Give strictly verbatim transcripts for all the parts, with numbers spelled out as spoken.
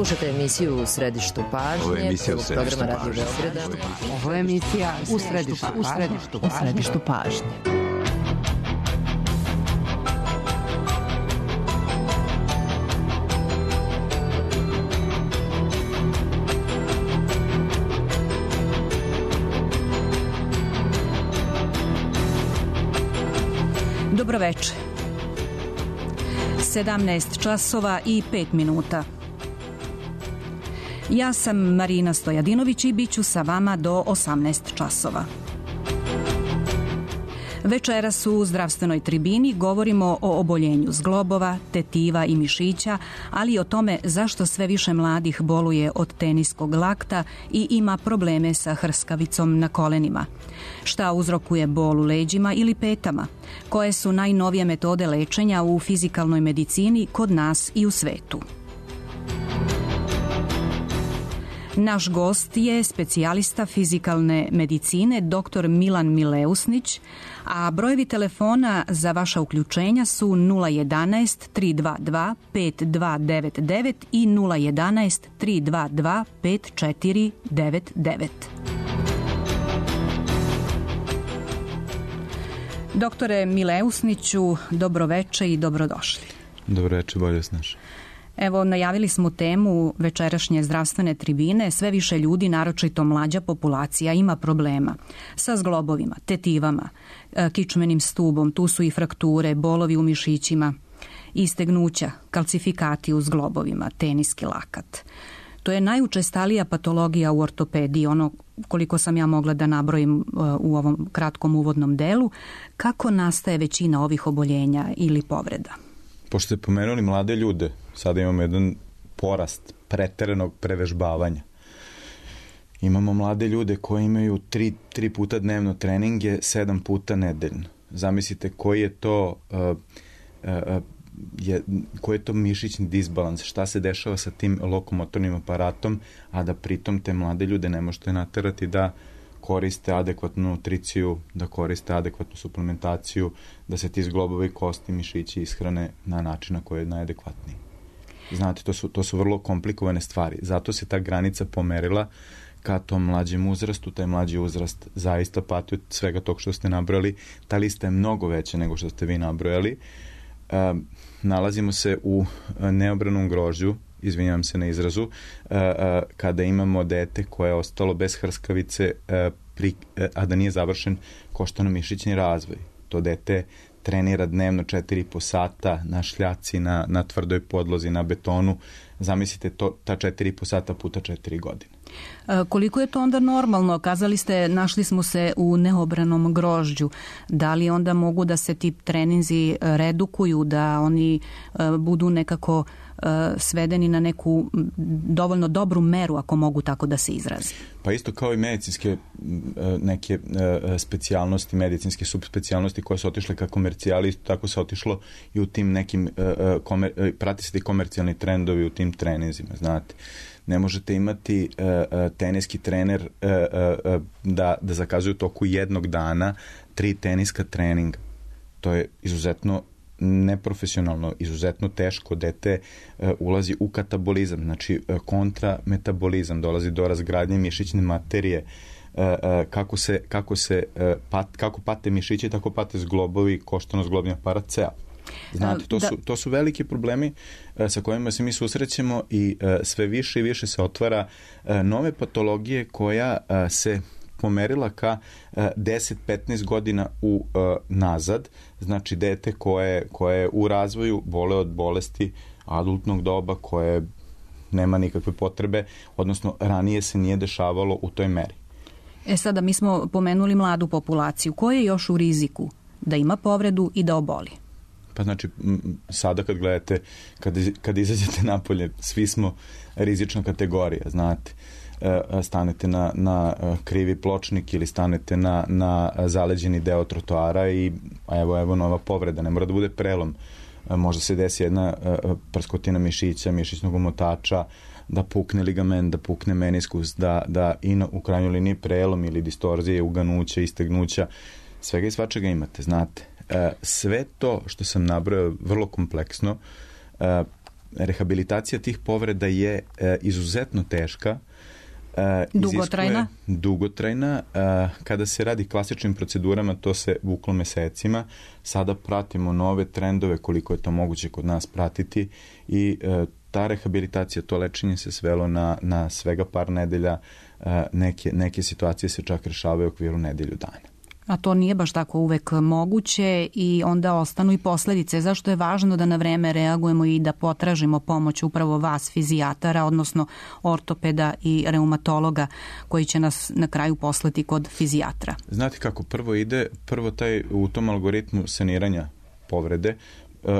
Slušajte emisiju U središtu pažnje. Ovo je emisija U središtu programa Radio pažnje. Beograda. Ovo je emisija U središtu, u središtu, u središtu pažnje. Dobro večer. sedamnaest časova i pet minuta. Ja sam Marina Stojadinović i bit ću sa vama do osamnaest časova. Večeras u zdravstvenoj tribini govorimo o oboljenju zglobova, tetiva i mišića, ali i o tome zašto sve više mladih boluje od teniskog lakta i ima probleme sa hrskavicom na kolenima. Šta uzrokuje bol u leđima ili petama? Koje su najnovije metode lečenja u fizikalnoj medicini kod nas i u svetu? Naš gost je specijalista fizikalne medicine dr. Milan Mileusnić, a brojevi telefona za vaša uključenja su nula jedanaest tri dva dva pet dva devet devet i nula jedanaest tri dva dva pet četiri devet devet. Doktore Mileusniću, dobroveče i dobrodošli. Dobroveče, bolje vas našli. Evo, najavili smo temu večerašnje zdravstvene tribine. Sve više ljudi, naročito mlađa populacija, ima problema sa zglobovima, tetivama, kičmenim stubom. Tu su i frakture, bolovi u mišićima, istegnuća, kalcifikati u zglobovima, teniski lakat. To je najučestalija patologija u ortopediji, ono koliko sam ja mogla da nabrojim u ovom kratkom uvodnom delu. Kako nastaje većina ovih oboljenja ili povreda? Pošto ste pomenuli mlade ljude, sada imamo jedan porast preteranog prevežbavanja. Imamo mlade ljude koji imaju tri, tri puta dnevno treninge, sedam puta nedeljno. Zamislite koji je to, uh, uh, je, koji je to mišićni disbalans, šta se dešava sa tim lokomotornim aparatom, a da pritom te mlade ljude ne možete naterati da koriste adekvatnu nutriciju, da koriste adekvatnu suplementaciju, da se ti zglobovi, kosti, mišići ishrane na način na koji je najadekvatniji. Znate, to su, to su vrlo komplikovane stvari. Zato se ta granica pomerila ka tom mlađem uzrastu. Taj mlađi uzrast zaista pati od svega tog što ste nabrojali. Ta lista je mnogo veća nego što ste vi nabrojali. E, nalazimo se u neobranom grožđu, izvinjavam se na izrazu, kada imamo dete koje je ostalo bez hrskavice, a da nije završen koštano-mišićni razvoj. To dete trenira dnevno četiri i po sata na šljaci, na, na tvrdoj podlozi, na betonu. Zamislite to, ta četiri i po sata puta četiri godine. Koliko je to onda normalno? Kazali ste, našli smo se u neobranom grožđu. Da li onda mogu da se ti treninzi redukuju, da oni budu nekako svedeni na neku dovoljno dobru meru, ako mogu tako da se izrazi? Pa isto kao i medicinske neke specijalnosti, medicinske subspecijalnosti koje su otišle ka komercijali, tako se otišlo i u tim nekim, komer, prati se i komercijalni trendovi u tim treninzima, znate. Ne možete imati uh, uh, teniski trener uh, uh, da, da zakazuje u toku jednog dana tri teniska treninga. To je izuzetno neprofesionalno, izuzetno teško. Dete uh, ulazi u katabolizam, znači uh, kontrametabolizam, dolazi do razgradnje mišićne materije. Uh, uh, kako se, kako se uh, pat, kako pate mišići, tako pate zglobovi, koštano-zglobni aparat ceo. Znate, to su, to su veliki problemi uh, sa kojima se mi susrećemo i uh, sve više i više se otvara uh, nove patologije koja uh, se pomerila ka uh, deset do petnaest godina u uh, nazad. Znači, dete koje, koje je u razvoju bole od bolesti adultnog doba, koje nema nikakve potrebe, odnosno ranije se nije dešavalo u toj meri. E sada, mi smo pomenuli mladu populaciju. Ko je još u riziku da ima povredu i da oboli? Pa znači, sada kad gledate, kad, kad izađete napolje, svi smo rizična kategorija, znate. Stanete na, na krivi pločnik ili stanete na, na zaleđeni deo trotoara i evo, evo nova povreda, ne mora da bude prelom. Možda se desi jedna prskotina mišića, mišićnog omotača, da pukne ligament, da pukne meniskus, da, da i na, u krajnjoj liniji prelom ili distorzije, uganuća, istegnuća, svega i svačega imate, znate. Sve to što sam nabrojao vrlo kompleksno, rehabilitacija tih povreda je izuzetno teška, dugotrajna. Dugotrajna. Kada se radi klasičnim procedurama, to se vuklo mesecima. Sada pratimo nove trendove koliko je to moguće kod nas pratiti i ta rehabilitacija, to lečenje se svelo na, na svega par nedelja. Neke, neke situacije se čak rešavaju u okviru nedelju dana. A to nije baš tako uvek moguće i onda ostanu i posledice. Zašto je važno da na vreme reagujemo i da potražimo pomoć upravo vas, fizijatara, odnosno ortopeda i reumatologa koji će nas na kraju poslati kod fizijatra? Znate kako, prvo ide, prvo taj u tom algoritmu saniranja povrede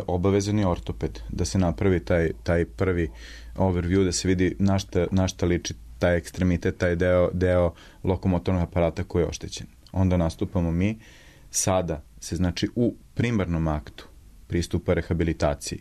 obavezan je ortoped, da se napravi taj, taj prvi overview, da se vidi na šta, na šta liči taj ekstremitet, taj deo, deo lokomotornog aparata koji je oštećen. Onda nastupamo mi. Sada se, znači, u primarnom aktu pristupa rehabilitaciji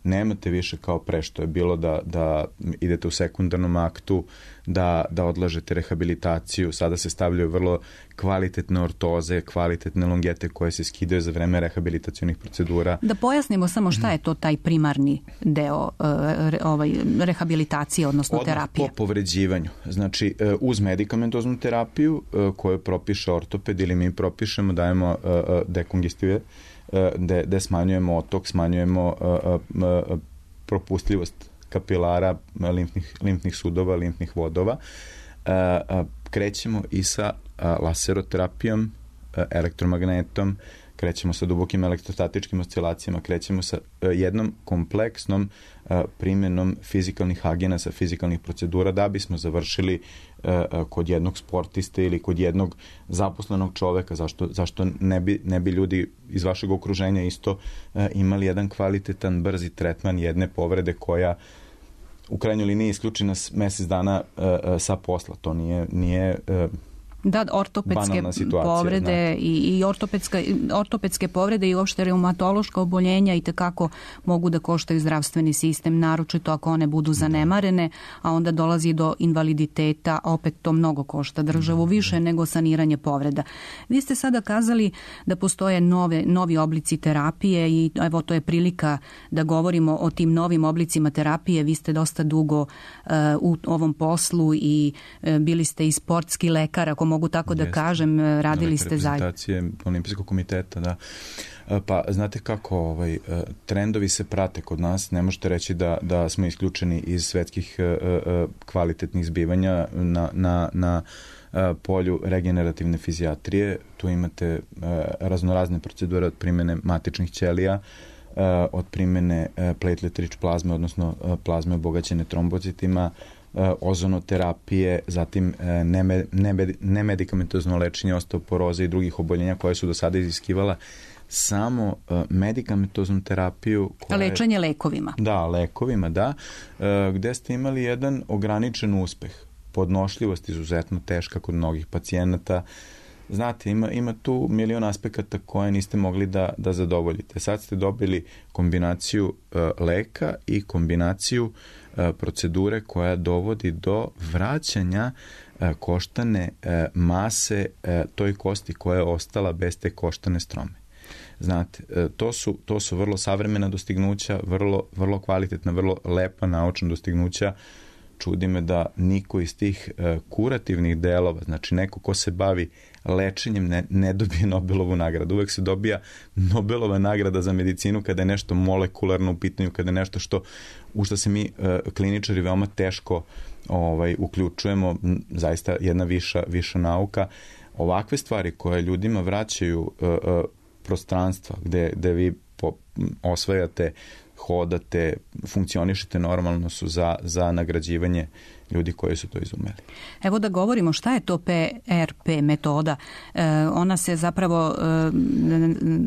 nemate više kao pre što je bilo da, da idete u sekundarnom aktu, da, da odlažete rehabilitaciju. Sada se stavljaju vrlo kvalitetne ortoze, kvalitetne longete koje se skidaju za vreme rehabilitacionih procedura. Da pojasnimo samo šta je to taj primarni deo ovaj, rehabilitacije, odnosno odmah terapije. Po povređivanju. Znači, uz medikamentoznu terapiju koju propiše ortoped ili mi propišemo, dajemo dekongestive, gde, gde smanjujemo otok, smanjujemo uh, uh, propustljivost kapilara, limfnih, limfnih sudova, limfnih vodova. Uh, uh, krećemo i sa uh, laseroterapijom, uh, elektromagnetom, krećemo sa dubokim elektrostatičkim oscilacijama, krećemo sa uh, jednom kompleksnom uh, primjenom fizikalnih agenasa, fizikalnih procedura, da bismo završili uh, uh, kod jednog sportiste ili kod jednog zaposlenog čoveka. Zašto, zašto ne, bi, ne bi ljudi iz vašeg okruženja isto uh, imali jedan kvalitetan, brzi tretman jedne povrede koja u krajnjoj liniji isključena mesec dana uh, uh, sa posla. To nije... nije uh, Da, ortopedske povrede i, i ortopedska, ortopedske povrede i uopšte reumatološka oboljenja i tekako mogu da koštaju zdravstveni sistem, naročito ako one budu zanemarene, a onda dolazi do invaliditeta, a opet to mnogo košta državu više nego saniranje povreda. Vi ste sada kazali da postoje nove, novi oblici terapije i evo to je prilika da govorimo o tim novim oblicima terapije. Vi ste dosta dugo uh, u ovom poslu i uh, bili ste i sportski lekar, ako mogu tako da Jeste. kažem, radili ste zajedno. Reprezentacije Olimpijskog komiteta, da. Pa znate kako, ovaj, trendovi se prate kod nas, ne možete reći da, da smo isključeni iz svetskih kvalitetnih zbivanja na, na, na polju regenerativne fizijatrije. Tu imate raznorazne procedure od primjene matičnih ćelija, od primjene platelet-rich plazme, odnosno plazme obogaćene trombocitima, ozonoterapije, zatim nemedikamentozno lečenje osteoporoze i drugih oboljenja koje su do sada iziskivala samo medikamentoznu terapiju. Koja lečenje je, lekovima. Da, lekovima, da, gde ste imali jedan ograničen uspeh. Podnošljivost izuzetno teška kod mnogih pacijenata. Znate, ima, ima tu milion aspekata koje niste mogli da, da zadovoljite. Sad ste dobili kombinaciju uh, leka i kombinaciju uh, procedure koja dovodi do vraćanja uh, koštane uh, mase uh, toj kosti koja je ostala bez te koštane strome. Znate, uh, to su, to su vrlo savremena dostignuća, vrlo, vrlo kvalitetna, vrlo lepa naučna dostignuća. Čudi me da niko iz tih uh, kurativnih delova, znači neko ko se bavi lečenjem, ne, ne dobije Nobelovu nagradu. Uvek se dobija Nobelova nagrada za medicinu kada je nešto molekularno u pitanju, kada je nešto što, u što se mi uh, kliničari veoma teško ovaj, uključujemo, zaista jedna viša, viša nauka. Ovakve stvari koje ljudima vraćaju uh, uh, prostranstva gde, gde vi po, osvajate, hodate, funkcionišete normalno su za, za nagrađivanje ljudi koji su to izumeli. Evo da govorimo šta je to P R P metoda. E, ona se zapravo e,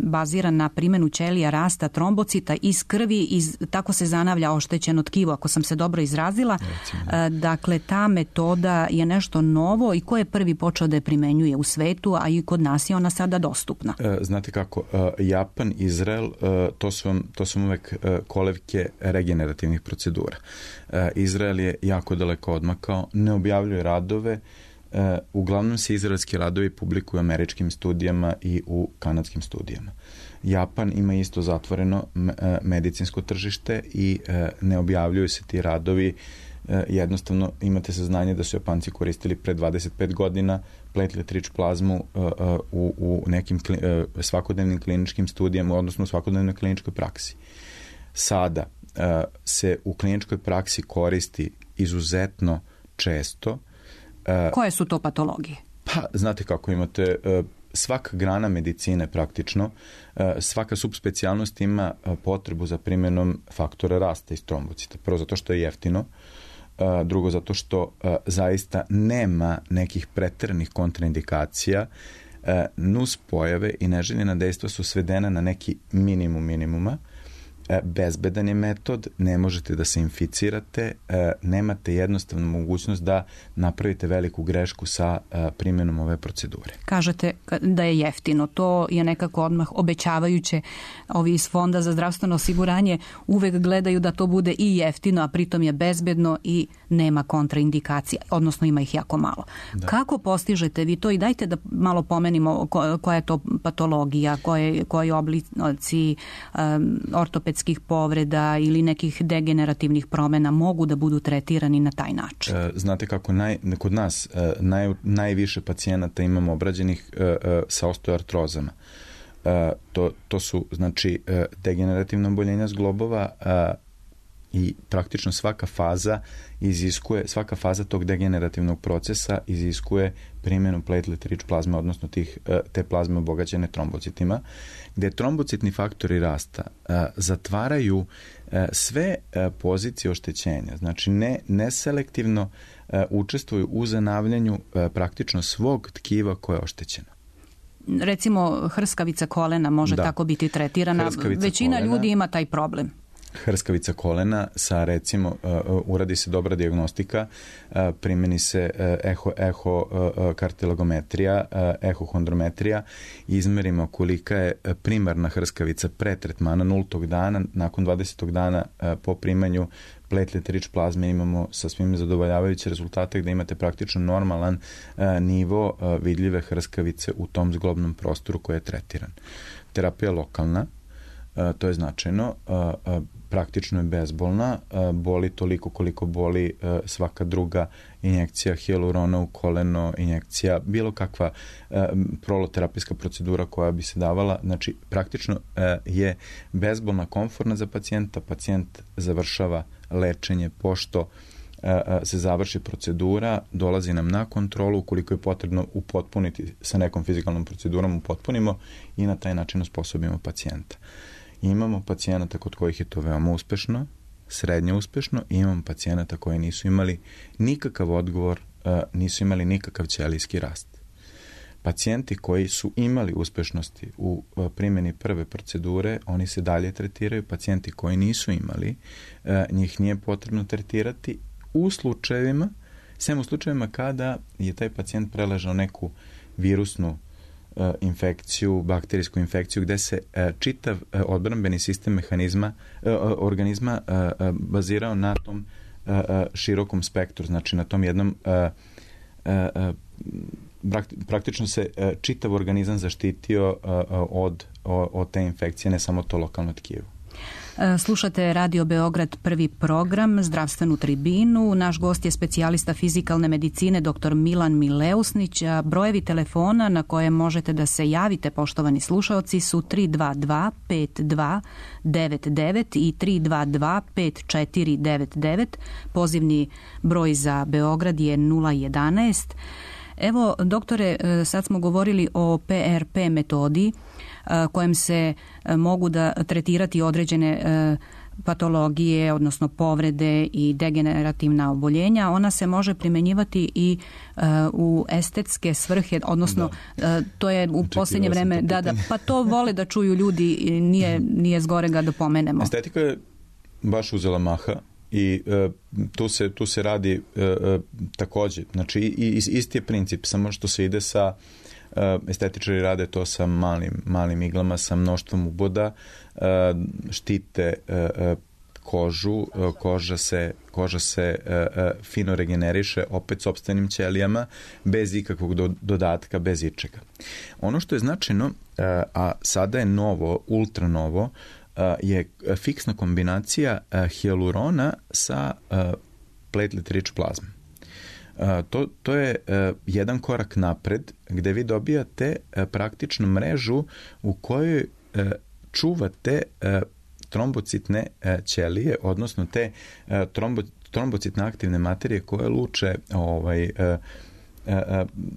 bazira na primjenu ćelija rasta trombocita iz krvi, iz, tako se zanavlja oštećeno tkivo, ako sam se dobro izrazila. E, dakle, ta metoda je nešto novo i ko je prvi počeo da je primenjuje u svetu, a i kod nas je ona sada dostupna. E, znate kako, e, Japan, Izrael, e, to su vam, to su vam uvek e, kolevke regenerativnih procedura. E, Izrael je jako daleko odmakao, ne objavljuje radove, e, uglavnom se izraelski radovi publikuju u američkim studijama i u kanadskim studijama. Japan ima isto zatvoreno medicinsko tržište i ne objavljuju se ti radovi. Jednostavno imate saznanje da su Japanci koristili pre dvadeset pet godina platelet-rich plazmu u, u nekim svakodnevnim kliničkim studijama, odnosno u svakodnevnoj kliničkoj praksi. Sada se u kliničkoj praksi koristi izuzetno često. Koje su to patologije? Pa, znate kako imate, svaka grana medicine praktično, svaka subspecijalnost ima potrebu za primjenom faktora rasta iz trombocita. Prvo zato što je jeftino, drugo zato što zaista nema nekih preteranih kontraindikacija, nus pojave i neželjena dejstva su svedena na neki minimum minimuma. Bezbedan je metod, ne možete da se inficirate, nemate jednostavnu mogućnost da napravite veliku grešku sa primjenom ove procedure. Kažete da je jeftino, to je nekako odmah obećavajuće. Ovi iz Fonda za zdravstveno osiguranje uvek gledaju da to bude i jeftino, a pritom je bezbedno i nema kontraindikacija, odnosno ima ih jako malo. Da. Kako postižete vi to i dajte da malo pomenimo koja je to patologija, koje, koji oblici um, ortopedskih povreda ili nekih degenerativnih promjena mogu da budu tretirani na taj način? Znate kako, naj, kod nas naj, najviše pacijenata imamo obrađenih sa osteoartrozama. To, to su, znači, degenerativna oboljenja zglobova i praktično svaka faza iziskuje, svaka faza tog degenerativnog procesa iziskuje primjenu platelet-rich plazme, odnosno tih, te plazme obogaćene trombocitima, gde trombocitni faktori rasta a, zatvaraju a, sve a, pozicije oštećenja. Znači, ne, neselektivno a, učestvuju u zanavljanju a, praktično svog tkiva koje je oštećeno. Recimo, hrskavica kolena može da. tako biti tretirana. Hrskavica Većina kolena, ljudi ima taj problem. Hrskavica kolena sa, recimo, uh, uradi se dobra dijagnostika, uh, primjeni se uh, eho, eho uh, kartilogometrija, uh, ehohondrometrija, izmerimo kolika je primarna hrskavica pre tretmana nultog dana, nakon dvadesetog dana uh, po primanju platelet-rich plazme imamo sa svim zadovoljavajuće rezultate gde imate praktično normalan uh, nivo uh, vidljive hrskavice u tom zglobnom prostoru koji je tretiran. Terapija lokalna, uh, to je značajno, uh, uh, praktično je bezbolna, boli toliko koliko boli svaka druga injekcija hijalurona u koleno, injekcija, bilo kakva proloterapijska procedura koja bi se davala. Znači, praktično je bezbolna, komfortna za pacijenta. Pacijent završava lečenje pošto se završi procedura, dolazi nam na kontrolu, ukoliko je potrebno upotpuniti sa nekom fizikalnom procedurom, upotpunimo i na taj način osposobimo pacijenta. Imamo pacijenata kod kojih je to veoma uspešno, srednje uspešno, i imamo pacijenata koji nisu imali nikakav odgovor, nisu imali nikakav ćelijski rast. Pacijenti koji su imali uspešnosti u primjeni prve procedure, oni se dalje tretiraju. Pacijenti koji nisu imali, njih nije potrebno tretirati u slučajevima, sem u slučajevima kada je taj pacijent preležao neku virusnu infekciju, bakterijsku infekciju, gde se čitav odbrambeni sistem mehanizma, organizma bazirao na tom širokom spektru, znači na tom jednom praktično se čitav organizam zaštitio od, od te infekcije, ne samo to lokalno tkivo. Slušate Radio Beograd, prvi program, zdravstvenu tribinu. Naš gost je specijalista fizikalne medicine dr. Milan Mileusnić. Brojevi telefona na koje možete da se javite, poštovani slušaoci, su tri dva dva pet dva devet devet i tri dva dva pet četiri devet devet. Pozivni broj za Beograd je nula jedanaest. Evo, doktore, sad smo govorili o P R P metodi kojem se mogu da tretirati određene patologije, odnosno povrede i degenerativna oboljenja. Ona se može primenjivati i u estetske svrhe, odnosno da. To je u posljednje vreme, da, da, pa to vole da čuju ljudi, nije, nije zgorega da pomenemo. Estetika je baš uzela maha i uh, tu, se, tu se radi uh, uh, takođe, znači i, i, isti je princip, samo što se ide sa uh, estetičari rade to sa malim, malim iglama, sa mnoštvom uboda, uh, štite uh, kožu, koža se, koža se uh, fino regeneriše opet sopstvenim ćelijama, bez ikakvog do, dodatka, bez ičega. Ono što je značajno, uh, a sada je novo, ultra novo, uh, je fiksna kombinacija uh, hijalurona sa uh, platelet-rich plazma. Uh, to, to je uh, jedan korak napred gde vi dobijate uh, praktično mrežu u kojoj uh, čuvate uh, trombocitne uh, ćelije, odnosno te uh, trombo, trombocitne aktivne materije koje luče ovaj, uh, uh,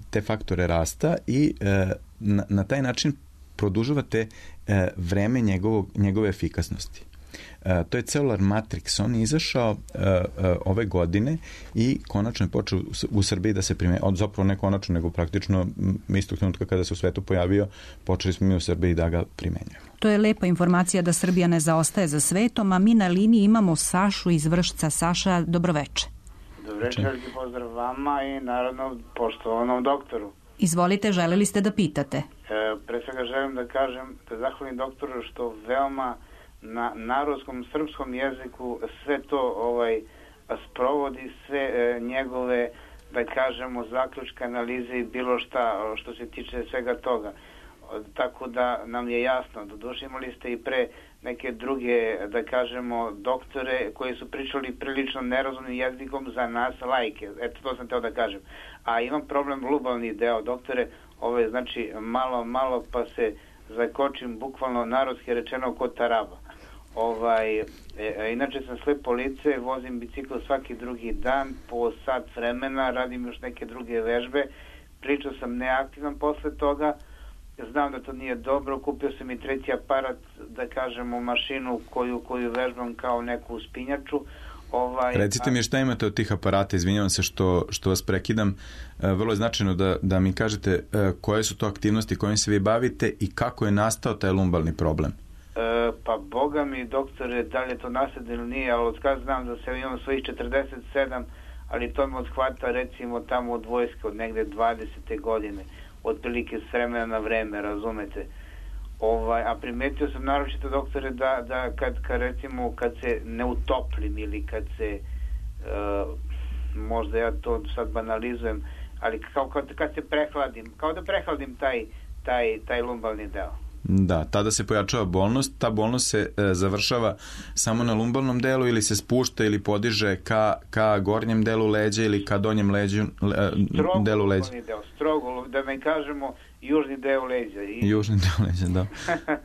te faktore rasta i uh, na, na taj način produžavate uh, vreme njegovog, njegove efikasnosti. Uh, to je Cellular Matrix, on je izašao uh, uh, ove godine i konačno je počeo u, u Srbiji da se primenjuje, od zapravo ne konačno, nego praktično istog trenutka kada se u svetu pojavio, počeli smo mi u Srbiji da ga primenjujemo. To je lepa informacija da Srbija ne zaostaje za svetom, a mi na liniji imamo Sašu iz Vršca. Saša, dobroveče. Dobroveče, pozdrav vama i naravno poštovanom doktoru. Izvolite, želeli ste da pitate? E, pre svega želim da kažem, da zahvalim doktoru što veoma na narodskom srpskom jeziku sve to ovaj sprovodi, sve e, njegove, da kažemo, zaključke, analize i bilo šta što se tiče svega toga. Tako da nam je jasno, doduše imali ste i pre neke druge, da kažemo, doktore koji su pričali prilično nerazumnim jezikom za nas lajke. Eto, to sam teo da kažem. A imam problem globalni deo, doktore, ovo je znači malo, malo pa se zakočim, bukvalno narodski rečeno kod taraba. Ovaj, e, inače sam slepo lice, vozim bicikl svaki drugi dan, po sat vremena, radim još neke druge vežbe, pričao sam neaktivan posle toga, znam da to nije dobro, kupio sam i treći aparat, da kažemo, mašinu koju, koju vežbam kao neku uspinjaču. Ovaj, Recite mi šta imate od tih aparata, izvinjavam se što, što vas prekidam, vrlo je značajno da, da mi kažete koje su to aktivnosti kojim se vi bavite i kako je nastao taj lumbalni problem. E, pa boga mi, doktore, da li je to nasled ili nije, ali od kada znam da se imam svojih četrdeset sedam, ali to me odhvata recimo tamo od vojske, od negde dvadesete godine, otprilike s vremena na vreme, razumete. Ovaj, a primetio sam naročito, doktore, da, da kad, kad recimo kad se ne utoplim ili kad se uh, možda ja to sad banalizujem, ali kao kad, kad se prehladim, kao da prehladim taj, taj, taj lumbalni deo. Da, tada se pojačava bolnost, ta bolnost se e, završava samo na lumbalnom delu ili se spušta ili podiže ka, ka gornjem delu leđa ili ka donjem leđu, le, delu leđa. Deo, strogo, da ne kažemo južni deo leđa. I... Južni deo leđa, da.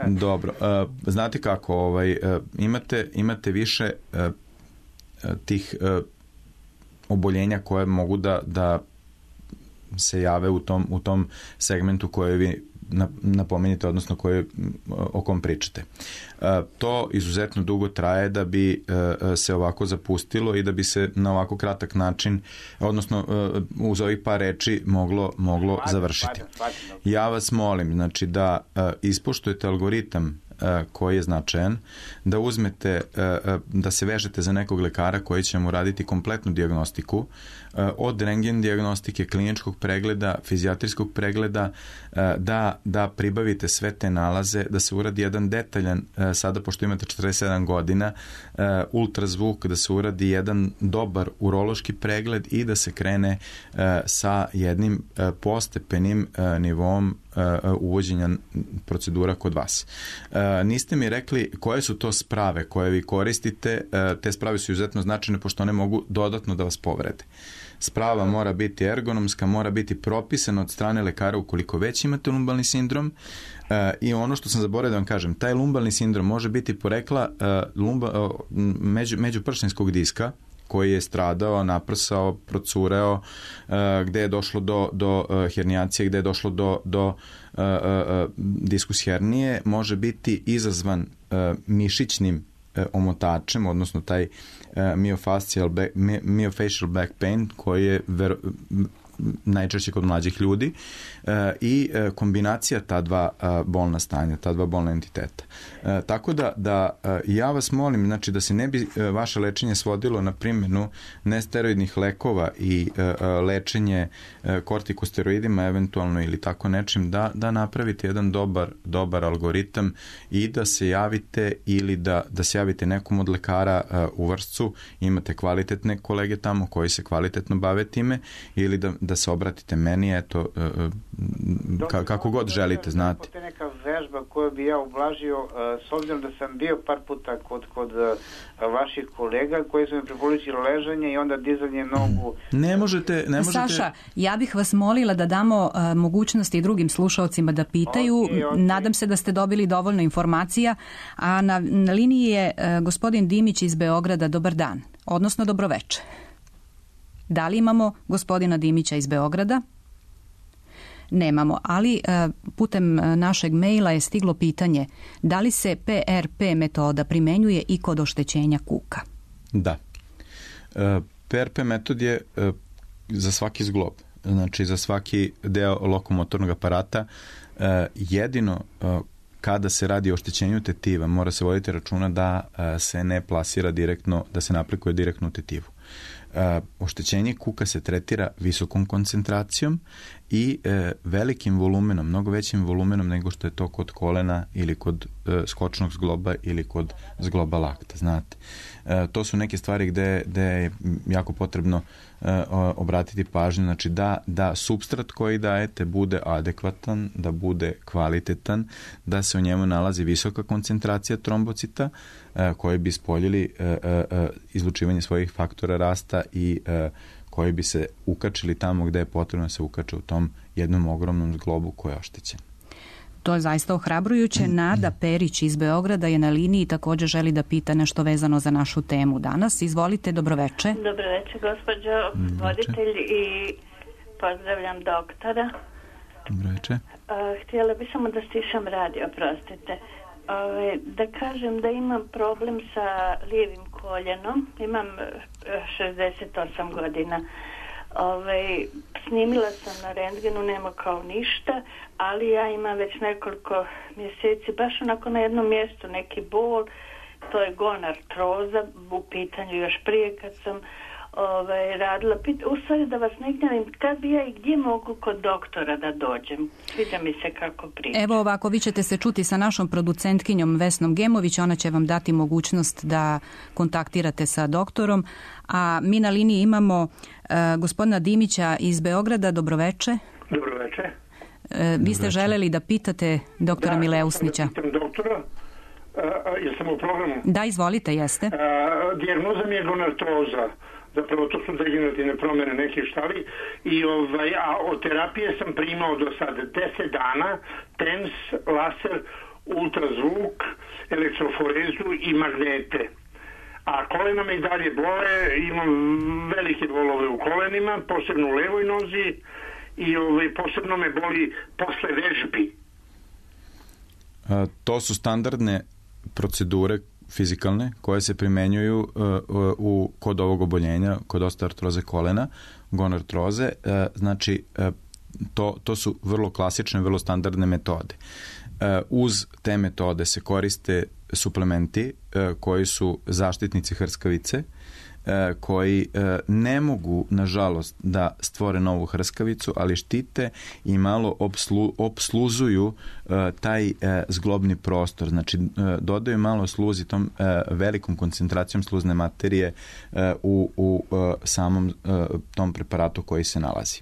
Dobro. E, znate kako, ovaj, e, imate, imate više e, tih e, oboljenja koje mogu da, da se jave u tom, u tom segmentu koje vi napomenite, odnosno koje, o kom pričate. To izuzetno dugo traje da bi se ovako zapustilo i da bi se na ovako kratak način, odnosno uz ovih par reči moglo, moglo završiti. Ja vas molim, znači, da ispoštujete algoritam koji je značajan, da uzmete, da se vežete za nekog lekara koji će mu raditi kompletnu dijagnostiku, od rentgen dijagnostike, kliničkog pregleda, fizijatrijskog pregleda, da, da pribavite sve te nalaze, da se uradi jedan detaljan, sada pošto imate četrdeset sedam godina, ultrazvuk, da se uradi jedan dobar urološki pregled i da se krene sa jednim postepenim nivom uvođenja procedura kod vas. Niste mi rekli koje su to sprave koje vi koristite. Te sprave su izuzetno značajne pošto one mogu dodatno da vas povrede. Sprava mora biti ergonomska, mora biti propisana od strane lekara ukoliko već imate lumbalni sindrom. I ono što sam zaboravio da vam kažem, taj lumbalni sindrom može biti porekla lumba, među, međupršinskog diska koji je stradao, naprsao, procureo, uh, gde je došlo do, do uh, hernijacije, gde je došlo do, do uh, uh, diskus hernije, može biti izazvan uh, mišićnim uh, omotačem, odnosno taj uh, myofascial back, myofascial back pain, koji je ver, najčešće kod mlađih ljudi, i kombinacija ta dva bolna stanja, ta dva bolna entiteta. Tako da, da ja vas molim, znači da se ne bi vaše lečenje svodilo na primjenu nesteroidnih lekova i lečenje kortikosteroidima eventualno ili tako nečim, da, da napravite jedan dobar, dobar algoritam i da se javite ili da, da se javite nekom od lekara u Vršcu, imate kvalitetne kolege tamo koji se kvalitetno bave time, ili da, da se obratite meni, eto, ka, kako god želite, znate. Postoje neka vežba koju bi ja ublažio, s obzirom da sam bio par puta kod, kod vaših kolega koji su mi preporučili ležanje i onda dizanje nogu. Ne možete, ne možete... Saša, ja bih vas molila da damo uh, mogućnosti drugim slušalcima da pitaju. Okay, okay. Nadam se da ste dobili dovoljno informacija, a na, na liniji je uh, gospodin Dimić iz Beograda. Dobar dan, odnosno dobroveče. Da li imamo gospodina Dimića iz Beograda? Nemamo, ali putem našeg maila je stiglo pitanje da li se P R P metoda primenjuje i kod oštećenja kuka? Da. P R P metod je za svaki zglob, znači za svaki deo lokomotornog aparata. Jedino kada se radi o oštećenju tetiva mora se voditi računa da se ne plasira direktno, da se ne aplikuje direktno u tetivu. Uh, oštećenje kuka se tretira visokom koncentracijom i uh, velikim volumenom, mnogo većim volumenom nego što je to kod kolena ili kod uh, skočnog zgloba ili kod zgloba lakta, znate. Uh, to su neke stvari gde, gde je jako potrebno uh, obratiti pažnju, znači da, da substrat koji dajete bude adekvatan, da bude kvalitetan, da se u njemu nalazi visoka koncentracija trombocita uh, koji bi spoljili uh, uh, izlučivanje svojih faktora rasta i uh, koji bi se ukačili tamo gde je potrebno da se ukače u tom jednom ogromnom zglobu koji je oštećen. To je zaista ohrabrujuće. Nada Perić iz Beograda je na liniji i također želi da pita nešto vezano za našu temu danas. Izvolite, dobroveče. Dobroveče, gospođo voditelj, i pozdravljam doktora. Dobroveče. Uh, htjela bi samo da stišam radio, oprostite. Uh, da kažem da imam problem sa lijevim koljenom. Imam šezdeset osam godina. Ove, snimila sam na rentgenu, nema kao ništa, ali ja imam već nekoliko mjeseci baš onako na jednom mjestu neki bol, to je gonartroza, u pitanju još prije kad sam ove, radila. U stvari da vas ne gnjavim, kad bi ja i gdje mogu kod doktora da dođem? Sviđa mi se kako priča. Evo ovako, vi ćete se čuti sa našom producentkinjom Vesnom Gemović, ona će vam dati mogućnost da kontaktirate sa doktorom, a mi na liniji imamo uh, gospodina Dimića iz Beograda. Dobroveče. Dobroveče. Uh, vi ste želeli da pitate doktora da, Mileusnića. Da, pitam doktora. Uh, jesam u programu? Da, izvolite, jeste. Uh, dijagnoza mi je gonartroza. Zapravo to su degenerativne promjene nekih štali i ovaj, a od terapije sam primao do sada deset dana TENS, laser, ultrazvuk, elektroforezu i magnete. A kolena me i dalje bole, imam velike bolove u kolenima, posebno u levoj nozi i ovaj, posebno me boli posle vežbi. A, to su standardne procedure fizikalne koje se primenjuju uh, u, kod ovog oboljenja, kod osteoartroze kolena, gonartroze. Uh, znači, uh, to, to su vrlo klasične, vrlo standardne metode. Uh, uz te metode se koriste suplementi uh, koji su zaštitnici hrskavice, koji ne mogu, nažalost, da stvore novu hrskavicu, ali štite i malo obslu, obsluzuju taj zglobni prostor. Znači, dodaju malo sluzi tom velikom koncentracijom sluzne materije u, u samom tom preparatu koji se nalazi.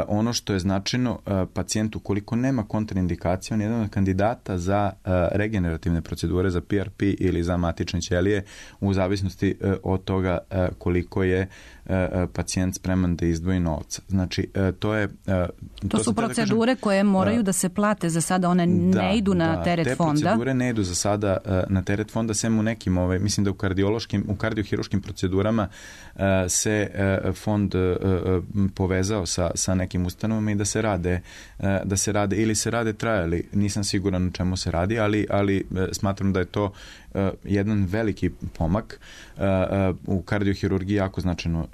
Ono što je značajno, pacijent ukoliko nema kontraindikacije, on je jedan od kandidata za regenerativne procedure, za P R P ili za matične ćelije, u zavisnosti od toga koliko je pacijent spreman da izdvoji novca. Znači, to je... To, to su procedure da kažem, koje moraju da se plate za sada, one da, ne idu na da, teret te fonda. Te procedure ne idu za sada na teret fonda, sem u nekim, ovaj, mislim da u kardiološkim, u kardiohiruškim procedurama se fond povezao sa, sa nekim ustanovama i da se rade, da se rade ili se rade trajali. Nisam siguran o čemu se radi, ali, ali smatram da je to jedan veliki pomak. U kardiohirurgiji jako značajno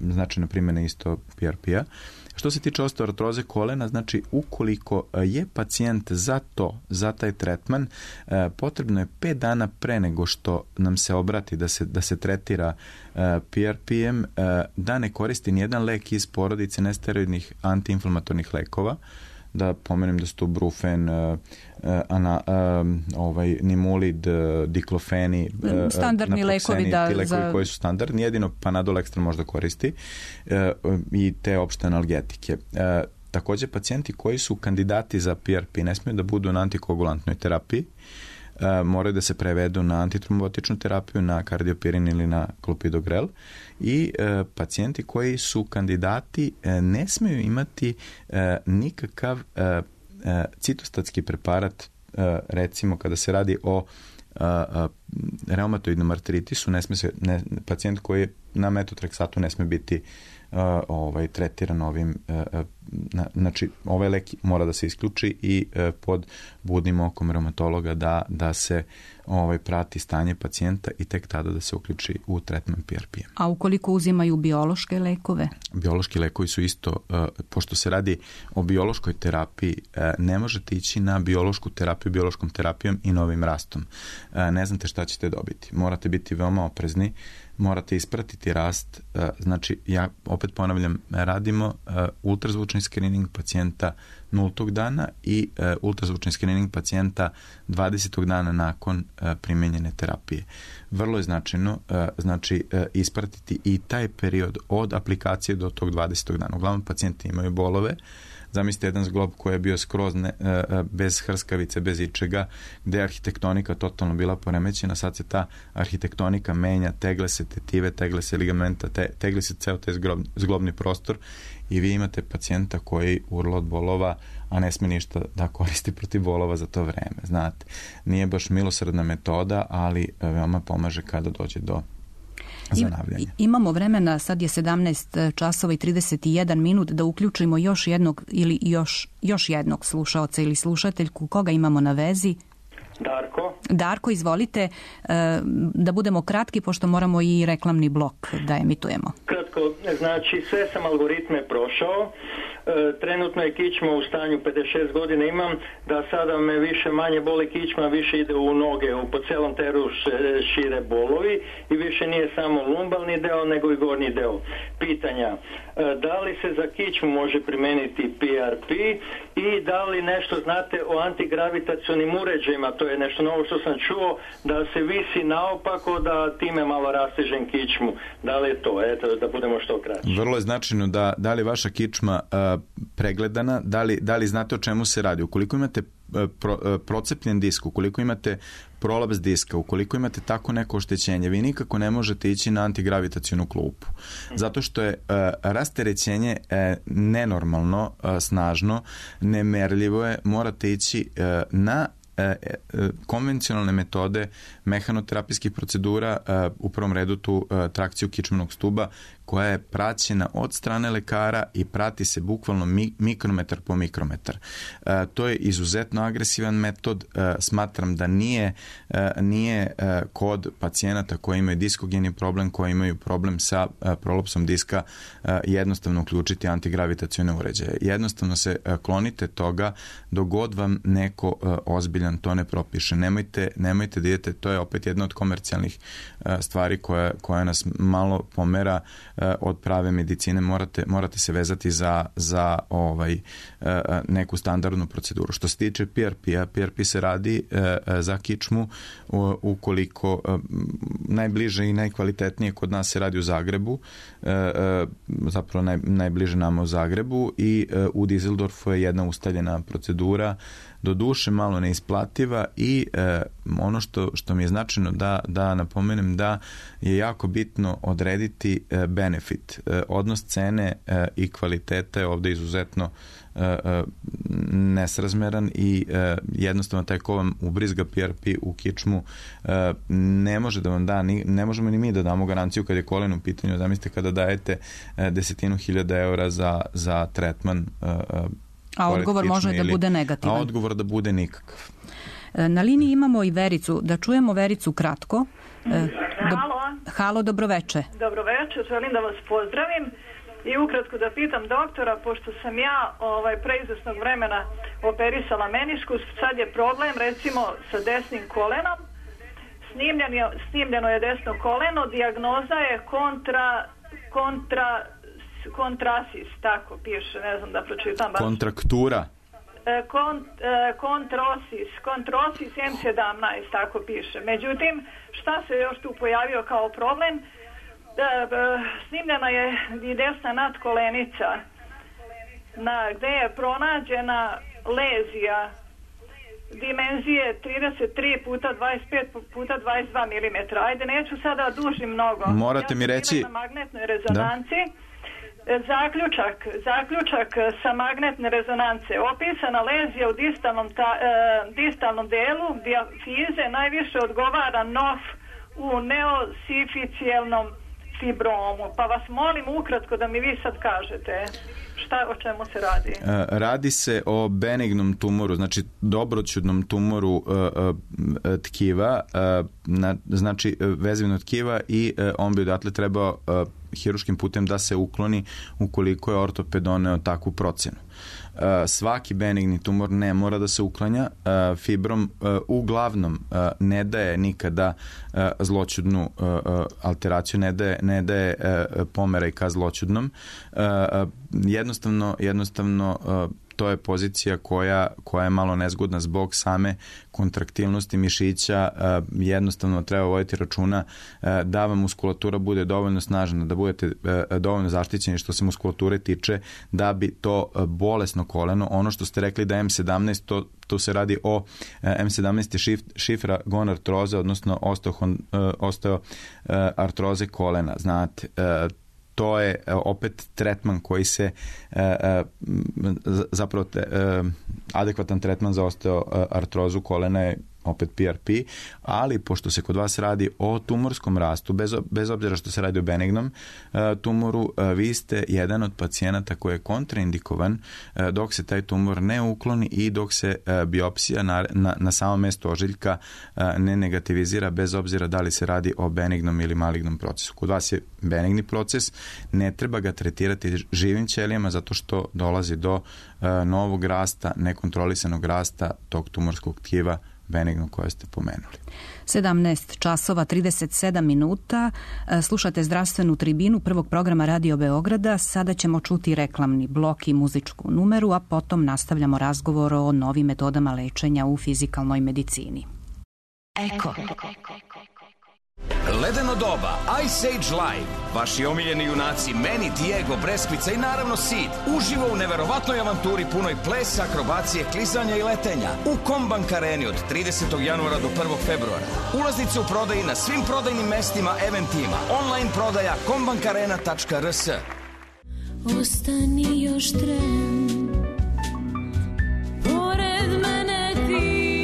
značajna primjena isto P R P-a. Što se tiče osteoartroze kolena, znači ukoliko je pacijent za to, za taj tretman, potrebno je pet dana pre nego što nam se obrati da se, da se tretira P R P-em, da ne koristi nijedan lek iz porodice nesteroidnih antiinflamatornih lekova. Da pomenem da su to brufen, uh, ana, um, ovaj, nimulid, uh, diklofeni, uh, standardni lekovi, da, ti lekovi za... koji su standardni, jedino Panadol Extra možda koristi uh, i te opšte analgetike. Uh, takođe, pacijenti koji su kandidati za P R P ne smiju da budu na antikoagulantnoj terapiji, Uh, moraju da se prevedu na antitrombotičnu terapiju, na kardiopirin ili na klopidogrel i uh, pacijenti koji su kandidati uh, ne smiju imati uh, nikakav uh, uh, citostatski preparat, uh, recimo kada se radi o uh, uh, reumatoidnom artritisu, ne sme se, ne, pacijent koji je na metotreksatu ne sme biti uh, ovaj, tretiran ovim, uh, na, znači ovaj lek mora da se isključi i uh, pod budnim okom reumatologa da, da se ovaj, prati stanje pacijenta i tek tada da se uključi u tretman P R P-em. A ukoliko uzimaju biološke lekove? Biološki lekovi su isto, uh, pošto se radi o biološkoj terapiji, uh, ne možete ići na biološku terapiju biološkom terapijom i novim rastom. Uh, ne znate šta ćete dobiti. Morate biti veoma oprezni, morate ispratiti rast, uh, znači ja opet ponavljam, radimo uh, ultrazvučni screening pacijenta nultog dana i uh, ultrazvučni screening pacijenta dvadesetog dana nakon uh, primenjene terapije. Vrlo je značajno uh, znači uh, ispratiti i taj period od aplikacije do tog dvadesetog dana. Uglavnom pacijenti imaju bolove. Zamislite jedan zglob koji je bio skroz ne, bez hrskavice, bez ičega, gde je arhitektonika totalno bila poremećena, sad se ta arhitektonika menja, tegle se tetive, tegle se ligamenta, te, tegle se ceo taj zglob, zglobni prostor i vi imate pacijenta koji urla od bolova, a ne sme ništa da koristi protiv bolova za to vreme. Znate, nije baš milosrdna metoda, ali veoma pomaže kada dođe do zanavljanja. Imamo vremena, sad je sedamnaest časova i trideset jedan minut, da uključimo još jednog ili još, još jednog slušaoca ili slušateljku. Koga imamo na vezi? Darko. Darko, izvolite, da budemo kratki, pošto moramo i reklamni blok da emitujemo. Kratko, znači sve sam algoritme prošao. Trenutno je kičma u stanju pedeset šest godina imam, da sada me više manje boli kičma, više ide u noge, u po celom teru šire bolovi i više nije samo lumbalni deo, nego i gornji deo. Pitanja, da li se za kičmu može primeniti P R P i da li nešto znate o antigravitacionim uređajima, to je nešto novo što sam čuo, da se visi naopako, da time malo rastežem kičmu. Da li je to? Eto, da budemo što kraći. Vrlo je značajno da, da li vaša kičma uh, pregledana, da li, da li znate o čemu se radi. Ukoliko imate pro, procepljen disk, ukoliko imate prolaps diska, ukoliko imate tako neko oštećenje, vi nikako ne možete ići na antigravitacionu klupu. Zato što je uh, rasterećenje uh, nenormalno, uh, snažno, nemerljivo je, morate ići uh, na konvencionalne metode mehanoterapijskih procedura, u prvom redu tu trakciju kičmenog stuba, koja je praćena od strane lekara i prati se bukvalno mikrometar po mikrometar. To je izuzetno agresivan metod. Smatram da nije, nije kod pacijenata koji imaju diskogeni problem, koji imaju problem sa prolapsom diska, jednostavno uključiti antigravitacione uređaje. Jednostavno se klonite toga dok god vam neko ozbiljan to ne propiše. Nemojte, nemojte da idete, to je opet jedna od komercijalnih stvari koja, koja nas malo pomera od prave medicine. Morate, morate se vezati za, za ovaj, neku standardnu proceduru. Što se tiče P R P-a, P R P se radi za kičmu ukoliko najbliže i najkvalitetnije kod nas se radi u Zagrebu, zapravo naj, najbliže nama u Zagrebu, i u Dizeldorfu je jedna ustaljena procedura, do duše malo neisplativa, i e, ono što, što mi je značajno da, da napomenem da je jako bitno odrediti e, benefit. E, odnos cene e, i kvaliteta je ovde izuzetno e, e, nesrazmeran i e, jednostavno taj ko vam ubrizga P R P u kičmu e, ne može da vam da, ni, ne možemo ni mi da damo garanciju kad je kolen u pitanju. Zamislite kada dajete e, desetinu hiljada eura za, za tretman e, a odgovor može da bude negativan. A odgovor da bude nikakav. Na liniji imamo i Vericu. Da čujemo Vericu kratko. Halo. Halo, dobroveče. Dobroveče, želim da vas pozdravim i ukratko da pitam doktora, pošto sam ja ovaj, pre izvesnog vremena operisala meniškus, sad je problem recimo sa desnim kolenom, snimljen je, snimljeno je desno koleno, dijagnoza je kontra, kontra, kontrasis, tako piše, ne znam da pročitam. Baš. Kontraktura. Kont, kontrosis, kontrosis em sedamnaest, tako piše. Međutim, šta se još tu pojavio kao problem? Snimljena je i desna nadkolenica, na, gde je pronađena lezija dimenzije trideset tri puta dvadeset pet puta dvadeset dva milimetra. Ajde, neću sada dužim mnogo. Morate ja mi reći... na magnetnoj rezonanci. Da. Zaključak, zaključak sa magnetne rezonance. Opisana lezija u distalnom, ta, e, distalnom delu dijafize najviše odgovara N O F u neosificijelnom fibromu. Pa vas molim ukratko da mi vi sad kažete šta, o čemu se radi. E, radi se o benignom tumoru, znači dobroćudnom tumoru e, e, tkiva, e, na, znači vezivno tkiva i e, on bi odatle trebao e, hiruškim putem da se ukloni ukoliko je ortoped doneo takvu procenu. Uh, svaki benigni tumor ne mora da se uklanja. Uh, fibrom uh, uglavnom uh, ne daje nikada uh, zloćudnu uh, uh, alteraciju, ne daje, ne daje uh, pomeraj ka zloćudnom. Uh, uh, jednostavno, jednostavno uh, to je pozicija koja, koja je malo nezgodna zbog same kontraktilnosti mišića. Jednostavno treba voditi računa da vam muskulatura bude dovoljno snažna, da budete dovoljno zaštićeni što se muskulature tiče, da bi to bolesno koleno, ono što ste rekli da M sedamnaest, to, to se radi o M sedamnaest je šif, šifra gonartroze, odnosno osteoartroze kolena. Znate, to je opet tretman koji se zapravo adekvatan tretman za osteoartrozu kolena je opet P R P, ali pošto se kod vas radi o tumorskom rastu, bez, bez obzira što se radi o benignom uh, tumoru, uh, vi ste jedan od pacijenata koji je kontraindikovan uh, dok se taj tumor ne ukloni i dok se uh, biopsija na, na, na samo mesto ožiljka uh, ne negativizira, bez obzira da li se radi o benignom ili malignom procesu. Kod vas je benigni proces, ne treba ga tretirati živim ćelijama zato što dolazi do uh, novog rasta, nekontrolisanog rasta tog tumorskog tkiva benigno koje ste pomenuli. sedamnaest časova trideset sedam minuta. Slušate zdravstvenu tribinu prvog programa Radio Beograda. Sada ćemo čuti reklamni blok i muzičku numeru, a potom nastavljamo razgovor o novim metodama lečenja u fizikalnoj medicini. Eko. Ledeno doba, Ice Age Live, vaši omiljeni junaci Meni, Diego, Breskvica i naravno Sid, uživo u neverovatnoj avanturi punoj plesa, akrobacije, klizanja i letenja u Kombank Areni od tridesetog januara do prvog februara. Ulaznice u prodaji na svim prodajnim mestima Eventima, online prodaja kombankarena tačka r s. Ostani još tren, pored mene ti,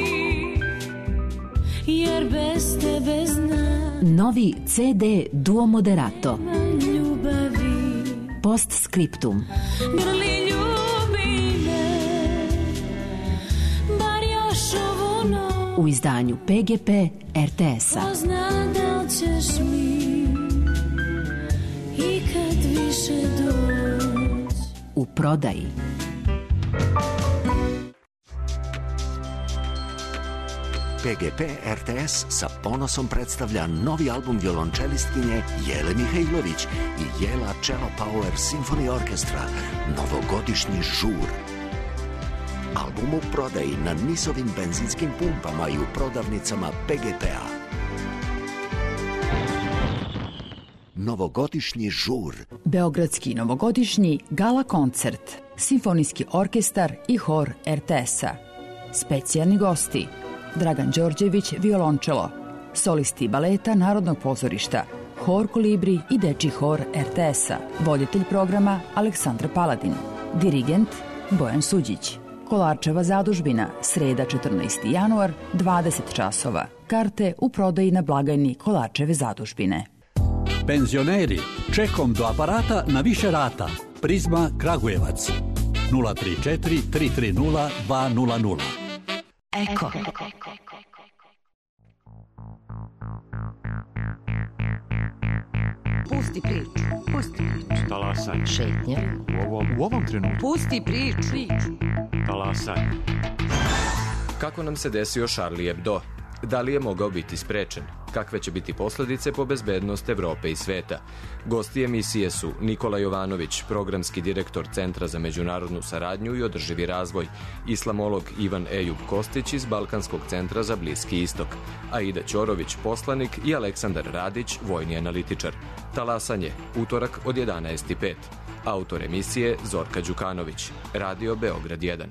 jer bez tebe znam. Novi C D Duo Moderato. Postscriptum. Grli ljubi me, bar još ovu noć. U izdanju P G P R T S-a. Pozna da li ćeš mi i kad više doć. U prodaji. P G P R T S sa ponosom predstavlja novi album violončelistkinje Jele Mihajlović i Jela Cello Power Symphony Orchestra, novogodišnji žur. Album u prodaji na Nisovim benzinskim pumpama i u prodavnicama P G P-a. Novogodišnji žur. Beogradski novogodišnji gala koncert, simfonijski orkestar i hor R T S-a. Specijalni gosti: Dragan Đorđević, violončelo, solisti baleta Narodnog pozorišta, hor Kolibri i dečji hor R T S-a, voditelj programa Aleksandra Paladin, dirigent Bojan Suđić. Kolarčeva zadužbina, sreda četrnaesti januar, dvadeset časova. Karte u prodaji na blagajni Kolarčeve zadužbine. Penzioneri, čekom do aparata na više rata. Prizma Kragujevac. nula tri četiri tri tri nula dva nula nula. Eko. Pusti priču. Pusti priču. Talasaj. Šetnja. U ovom, u ovom trenutku. Pusti priču. Talasaj. Kako nam se desio Charlie Hebdo? Da li je mogao biti sprečen? Kakve će biti posledice po bezbednost Evrope i sveta? Gosti emisije su Nikola Jovanović, programski direktor Centra za međunarodnu saradnju i održivi razvoj, islamolog Ivan Ejub Kostić iz Balkanskog centra za Bliski istok, Aida Ćorović, poslanik i Aleksandar Radić, vojni analitičar. Talasanje, utorak od jedanaest i pet. Autor emisije Zorka Đukanović. Radio Beograd jedan.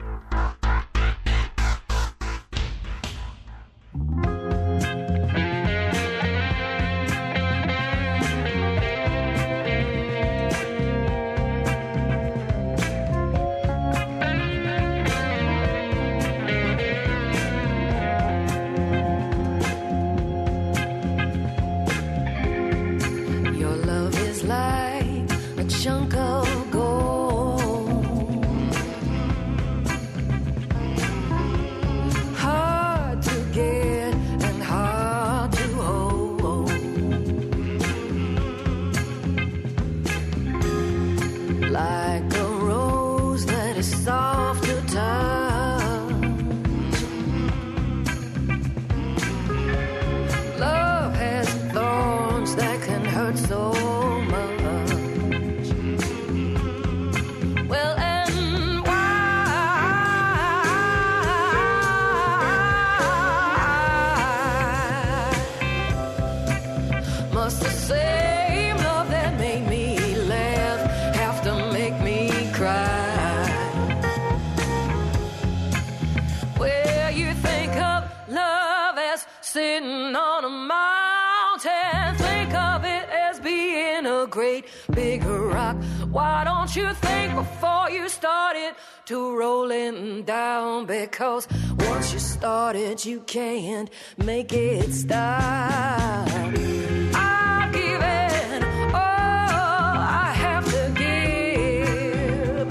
Because once you started, you can't make it stop. I've given all I have to give,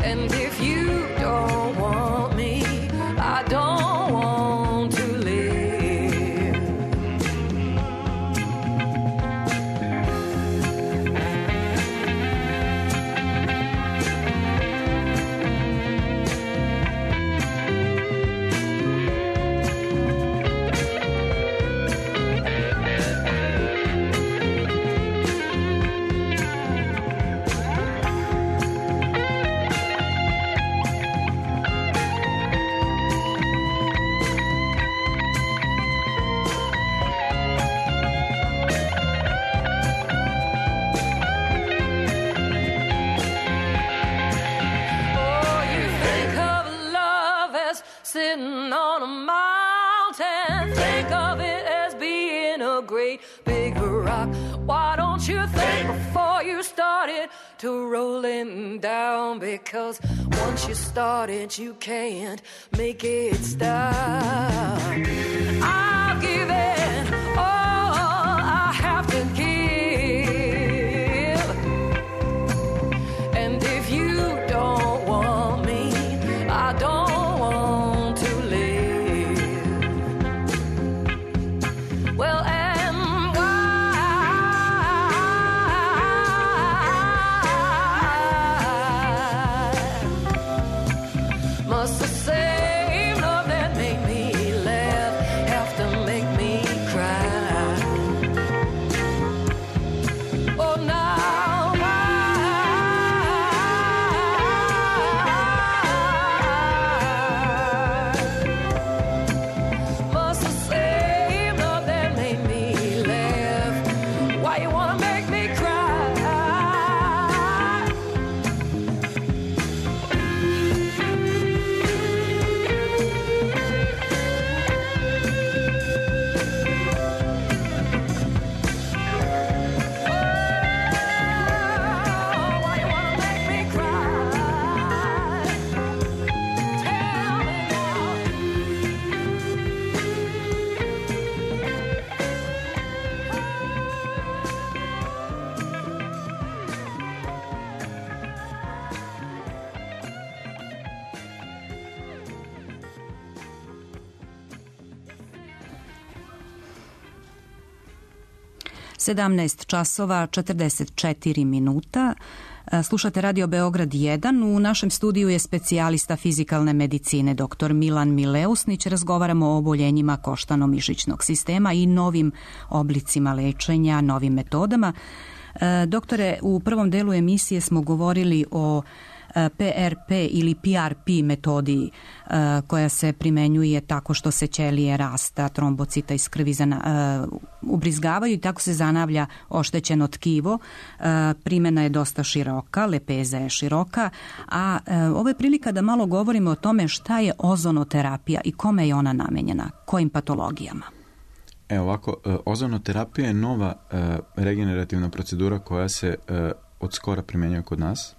and if you don't want me, I don't want to live. Sitting on a mountain, think of it as being a great big rock. Why don't you think before you started to rolling down? Because once you started, you can't make it stop. I've given all I have to give, and if you don't want me, I don't. Must the same love that made me sedamnaest časova četrdeset četiri minuta. Slušate Radio Beograd jedan. U našem studiju je specijalista fizikalne medicine dr. Milan Mileusnić. Razgovaramo o oboljenjima koštano-mišićnog sistema i novim oblicima lečenja, novim metodama. Doktore, u prvom delu emisije smo govorili o P R P ili P R P metodi koja se primenjuje tako što se ćelije rasta, trombocita iz krvi zana, ubrizgavaju i tako se zanavlja oštećeno tkivo. Primjena je dosta široka, lepeza je široka, a ovo je prilika da malo govorimo o tome šta je ozonoterapija i kome je ona namenjena, kojim patologijama. Evo ovako, ozonoterapija je nova regenerativna procedura koja se od skora primjenjuje kod nas.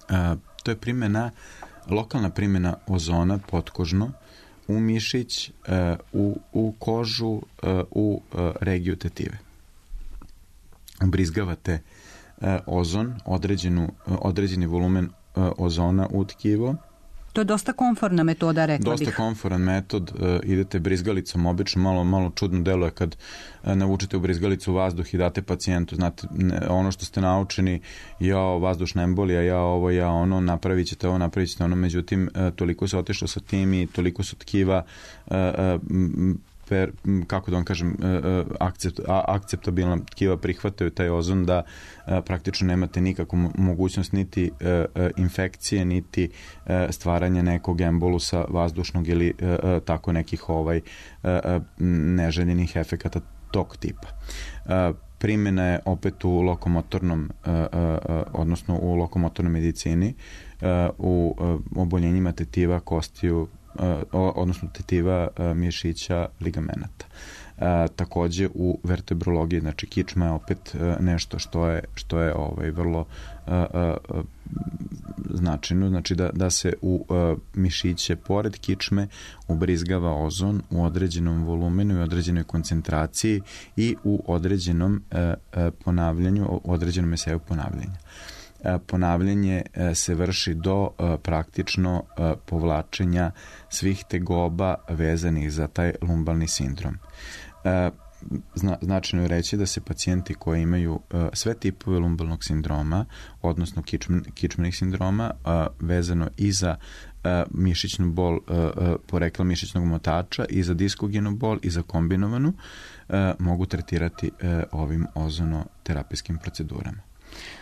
Uh, to je primjena, lokalna primjena ozona potkožno u mišić, uh, u, u kožu, uh, u uh, regiju tetive. Ubrizgavate uh, ozon, određenu, uh, određeni volumen uh, ozona u tkivo. To je dosta komforna metoda, rekla Dosta bih. komforan metod, uh, idete brizgalicom, obično malo, malo čudno deluje kad uh, navučete u brizgalicu vazduh i date pacijentu. Znate, ne, ono što ste naučeni, ja vazdušna embolija, ja ovo, ja ono, napravit ćete ovo, napravit ćete ono, međutim, uh, toliko se otišlo sa tim i toliko su tkiva uh, uh, per, kako da vam kažem, akcept, akceptabilna tkiva prihvataju taj ozon da praktično nemate nikakvu mogućnost niti infekcije, niti stvaranja nekog embolusa vazdušnog ili tako nekih ovaj neželjenih efekata tog tipa. Primjena je opet u lokomotornom, odnosno u lokomotornoj medicini, u oboljenjima tetiva, kostiju, odnosno tetiva, mišića, ligamenata. Takođe u vertebrologiji, znači kičma je opet nešto što je, što je ovaj, vrlo značajno, znači da, da se u mišiće pored kičme ubrizgava ozon u određenom volumenu i određenoj koncentraciji i u određenom ponavljanju, u određenom eseju ponavljanja. Ponavljanje se vrši do praktično povlačenja svih tegoba vezanih za taj lumbalni sindrom. Zna, značajno je reći da se pacijenti koji imaju sve tipove lumbalnog sindroma, odnosno kičmen, kičmenih sindroma, vezano i za mišićnu bol, porekla mišićnog motača, i za diskogenu bol, i za kombinovanu, mogu tretirati ovim ozonoterapijskim procedurama.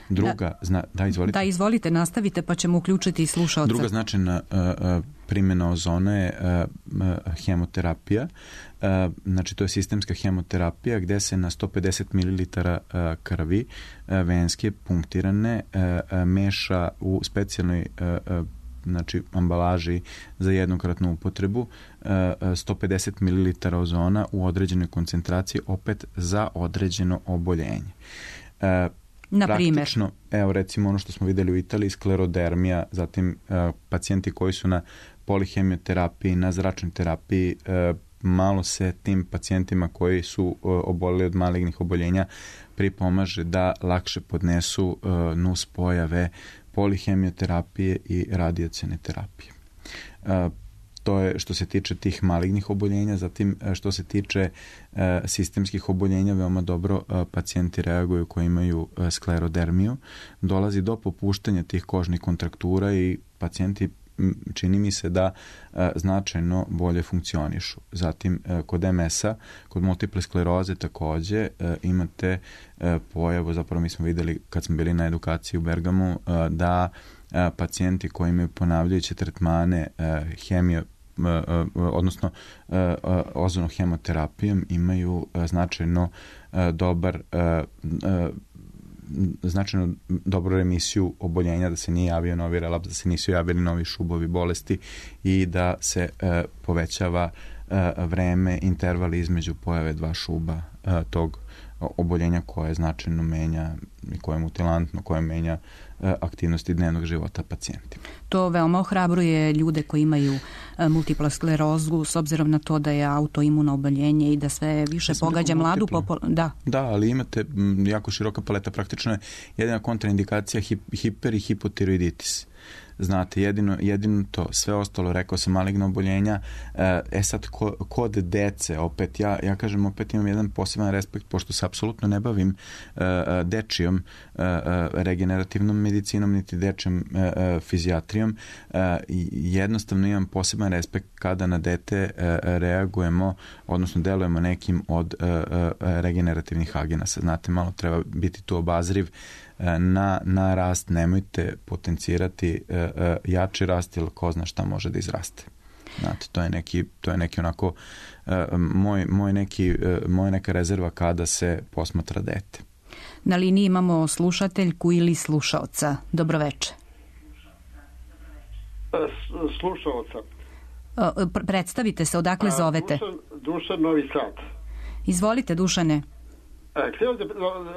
Druga, da, zna, da, izvolite. Da, izvolite, nastavite pa ćemo uključiti i slušaoca. Druga značajna uh, uh, primjena ozona je uh, uh, hemoterapija. Uh, znači, to je sistemska hemoterapija gde se na sto pedeset mililitara uh, krvi uh, venske punktirane uh, uh, meša u specijalnoj uh, uh, znači ambalaži za jednokratnu upotrebu sto pedeset mililitara ozona u određenoj koncentraciji, opet za određeno oboljenje. Uh, Na primjer? Praktično, evo recimo ono što smo videli u Italiji, sklerodermija, zatim uh, pacijenti koji su na polihemioterapiji, na zračnoj terapiji, uh, malo se tim pacijentima koji su uh, oboleli od malignih oboljenja pripomaže da lakše podnesu uh, nus pojave polihemioterapije i radijacione terapije. Uh, To je što se tiče tih malignih oboljenja. Zatim što se tiče e, sistemskih oboljenja, veoma dobro e, pacijenti reaguju koji imaju e, sklerodermiju. Dolazi do popuštanja tih kožnih kontraktura i pacijenti, čini mi se da e, značajno bolje funkcionišu. Zatim e, kod em es-a, kod multiple skleroze takođe e, imate e, pojavu, zapravo mi smo videli kad smo bili na edukaciji u Bergamu, e, da pacijenti koji imaju ponavljajuće tretmane hemio, odnosno ozonohemoterapijom imaju značajno dobar značajno dobru remisiju oboljenja, da se nije javio novi relaps, da se nisu javili novi šubovi bolesti i da se povećava vreme, interval između pojave dva šuba tog oboljenja koje značajno menja i koje je mutilantno, koje menja aktivnosti dnevnog života pacijentima. To veoma ohrabruje ljude koji imaju multipla sklerozu, s obzirom na to da je autoimuno oboljenje i da sve više pogađa mladu populaciju. Da. da, ali imate jako široka paleta. Praktično je jedina kontraindikacija hip, hiper i hipotiroiditis. znate, jedino, jedino to, sve ostalo, rekao sam, maligno oboljenja. E sad, ko, kod dece, opet, ja, ja kažem, opet imam jedan poseban respekt, pošto se apsolutno ne bavim uh, dečijom uh, regenerativnom medicinom, niti dečijom uh, fizijatrijom. Uh, jednostavno imam poseban respekt kada na dete uh, reagujemo, odnosno delujemo nekim od uh, uh, regenerativnih agenasa. Znate, malo treba biti tu obazriv na, na rast, nemojte potencirati uh, uh, jači rast, ili ko zna šta može da izraste. Znate, to je neki, to je neki onako uh, moj, moj neki, uh, moja neka rezerva kada se posmatra dete. Na liniji imamo slušateljku ili slušaoca. Dobroveče. Slušaoca. Uh, predstavite se, odakle A, zovete? Dušan, Dušan Novi Sad. Izvolite, Dušane. E, htio da,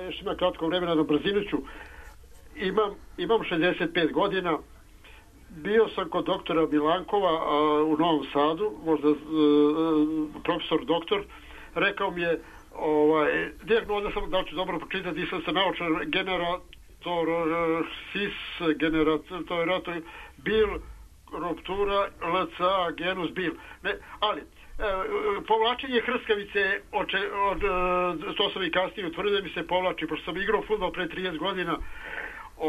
još ima kratko vremena, na brzinu ću. Imam, imam šezdeset pet godina, bio sam kod doktora Milankova a, u Novom Sadu, možda a, profesor doktor, rekao mi je, ovaj, dijagnoza sam, da ću dobro pročitati, nisam se naučio, generator, sis, generator, bil, ruptura, lc, genus, bil. Ne, ali, E, povlačenje hrskavice od, od, to sam i kasnije utvrdio da mi se povlači, pošto sam igrao fudbal pre trideset godina o,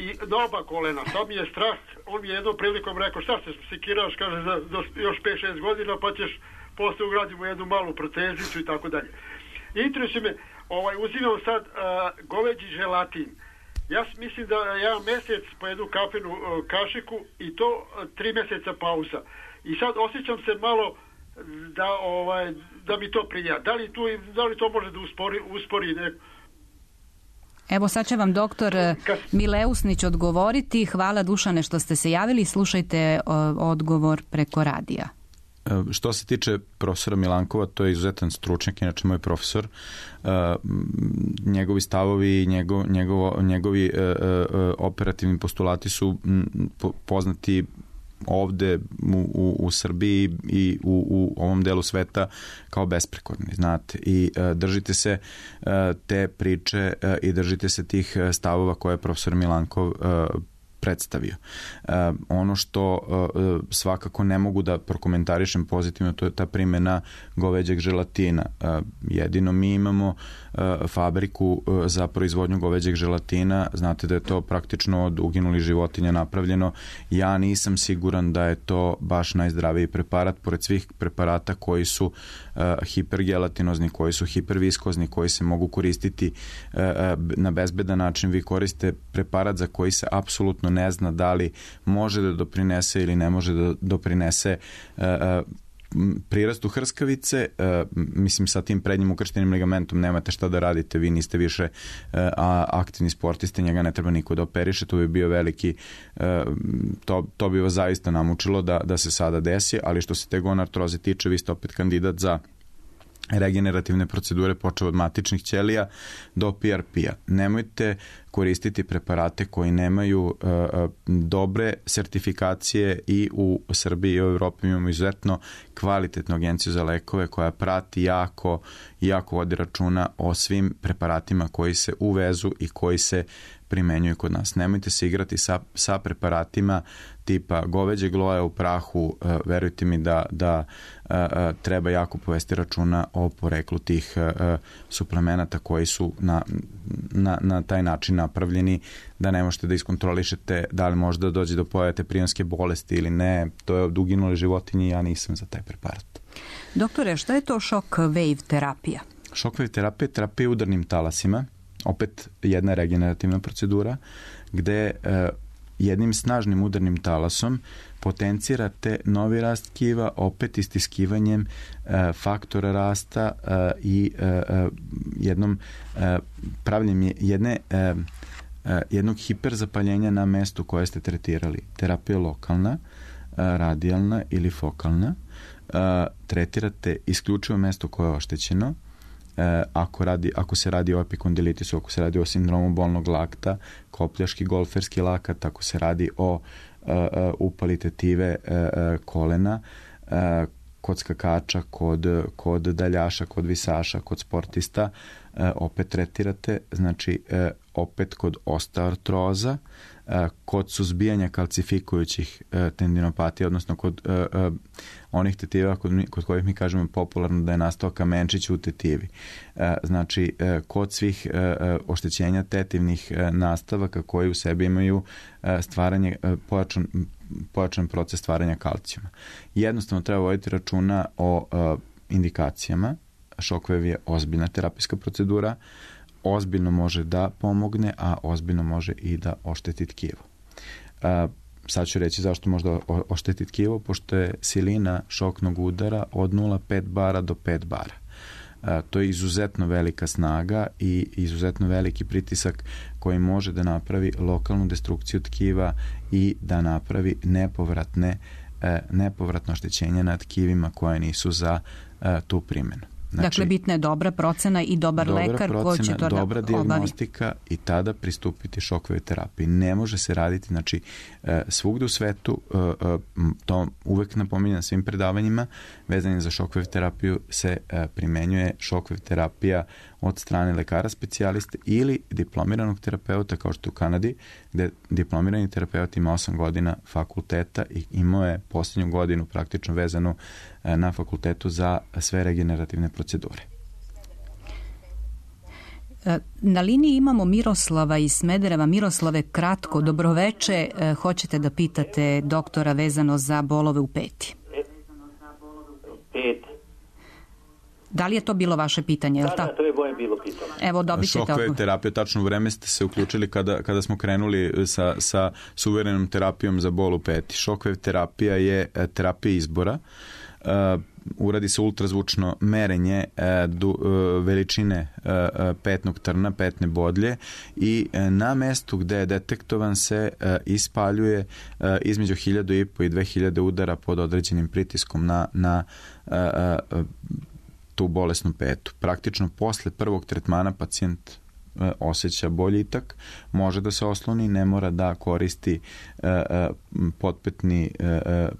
i na oba kolena, sad mi je strah. On mi je jednom prilikom rekao, šta se sekiraš, kaže, za, za još pet šest godina pa ćeš posle ugradimo jednu malu protezicu i tako dalje. Interesuje me, ovaj, uzimam sad a, goveđi želatin. Ja mislim da ja mesec po jednu kafenu a, kašiku i to a, tri meseca pauza. I sad osjećam se malo da ovaj da mi to prija. Da li tu da li to može da uspori uspori ne? Evo sad će vam doktor Mileusnić odgovoriti. Hvala, Dušane, što ste se javili. Slušajte o, odgovor preko radija. Što se tiče profesora Milankova, to je izuzetan stručnjak, inače moj profesor. Uh, njegovi stavovi i njegov, njegov, njegovi uh, uh, operativni postulati su m, po, poznati ovde u, u, u Srbiji i u, u ovom delu sveta kao besprekorni, znate, i uh, držite se uh, te priče uh, i držite se tih stavova koje je profesor Milankov uh, predstavio. Uh, ono što uh, svakako ne mogu da prokomentarišem pozitivno, to je ta primjena goveđeg želatina. Uh, jedino mi imamo uh, fabriku uh, za proizvodnju goveđeg želatina, znate da je to praktično od uginulih životinja napravljeno. Ja nisam siguran da je to baš najzdraviji preparat, pored svih preparata koji su uh, hipergelatinozni, koji su hiperviskozni, koji se mogu koristiti uh, na bezbedan način. Vi koriste preparat za koji se apsolutno ne zna da li može da doprinese ili ne može da doprinese uh, prirastu hrskavice. Uh, mislim, sa tim prednjim ukrštenim ligamentom nemate šta da radite, vi niste više uh, aktivni sportisti, njega ne treba niko da operiše, to bi bio veliki, uh, to, to bi vas zaista namučilo da, da se sada desi, ali što se te gonartroze tiče, vi ste opet kandidat za regenerativne procedure, počeo od matičnih ćelija do P R P-a. Nemojte koristiti preparate koji nemaju uh, dobre sertifikacije. I u Srbiji i u Evropi imamo izuzetno kvalitetnu agenciju za lekove koja prati jako, jako vodi računa o svim preparatima koji se uvezu i koji se primenjuju kod nas. Nemojte se igrati sa, sa preparatima tipa goveđeg loja u prahu, uh, verujte mi da, da uh, uh, treba jako povesti računa o poreklu tih uh, suplemenata koji su na, na, na taj način napravljeni, da ne možete da iskontrolišete da li možda dođe do pojave prionske bolesti ili ne. To je od uginule životinje i ja nisam za taj preparat. Doktore, šta je to shock-wave terapija? Shock-wave terapija je terapija udarnim talasima, opet jedna regenerativna procedura, gde uh, jednim snažnim udarnim talasom potencirate novi rast tkiva, opet istiskivanjem uh, faktora rasta uh, i uh, jednom uh, pravljenjem jedne uh, uh, jednog hiperzapaljenja na mestu koje ste tretirali. Terapija lokalna, uh, radijalna ili fokalna. Uh, tretirate isključivo mesto koje je oštećeno. Ako, radi, ako se radi o epikondilitisu, ako se radi o sindromu bolnog lakta, kopljaški golferski lakat, ako se radi o uh, uh, upali tetive uh, uh, kolena, uh, kod skakača, kod, kod daljaša, kod visaša, kod sportista, uh, opet tretirate, znači uh, opet kod osteoartroza, kod suzbijanja kalcifikujućih tendinopatija, odnosno kod onih tetiva kod, kod kojih mi kažemo popularno da je nastao kamenčić u tetivi. Znači, kod svih oštećenja tetivnih nastavaka koji u sebi imaju stvaranje, pojačan, pojačan proces stvaranja kalcijuma. Jednostavno treba voditi računa o indikacijama. Shockwave je ozbiljna terapijska procedura, ozbiljno može da pomogne, a ozbiljno može i da ošteti tkivo. Sad ću reći zašto možda ošteti tkivo, pošto je silina šoknog udara od nula zarez pet bara do pet bara. To je izuzetno velika snaga i izuzetno veliki pritisak koji može da napravi lokalnu destrukciju tkiva i da napravi nepovratne, nepovratno oštećenje na tkivima koje nisu za tu primjenu. Znači, dakle, bitna je dobra procena i dobar dobra lekar procena, koji će to da dobra obavi. dijagnostika i tada pristupiti Shockwave terapiji. Ne može se raditi, znači, svugde u svetu, to uvek napominjem svim predavanjima, vezanim za Shockwave terapiju se primenjuje Shockwave terapija od strane lekara specijaliste ili diplomiranog terapeuta, kao što je u Kanadi, gde diplomirani terapeut ima osam godina fakulteta i imao je posljednju godinu praktično vezanu na fakultetu za sve regenerativne procedure. Na liniji imamo Miroslava iz Smedereva. Miroslave, kratko, dobroveče. Hoćete da pitate doktora vezano za bolove u peti? Pet. Da li je to bilo vaše pitanje? Da, da, to je moje bilo pitanje. Evo, dobit ćete Shockwave terapija, tačno u vreme ste se uključili kada, kada smo krenuli sa, sa suverenom terapijom za bol u peti. Shockwave terapija je terapija izbora. Uh, uradi se ultrazvučno merenje uh, du, uh, veličine uh, petnog trna, petne bodlje i uh, na mestu gde je detektovan se uh, ispaljuje uh, između hiljadu i po i dve hiljade udara pod određenim pritiskom na, na uh, uh, tu bolesnu petu. Praktično posle prvog tretmana pacijent osjeća boljitak, može da se osloni, ne mora da koristi uh, potpetni, uh,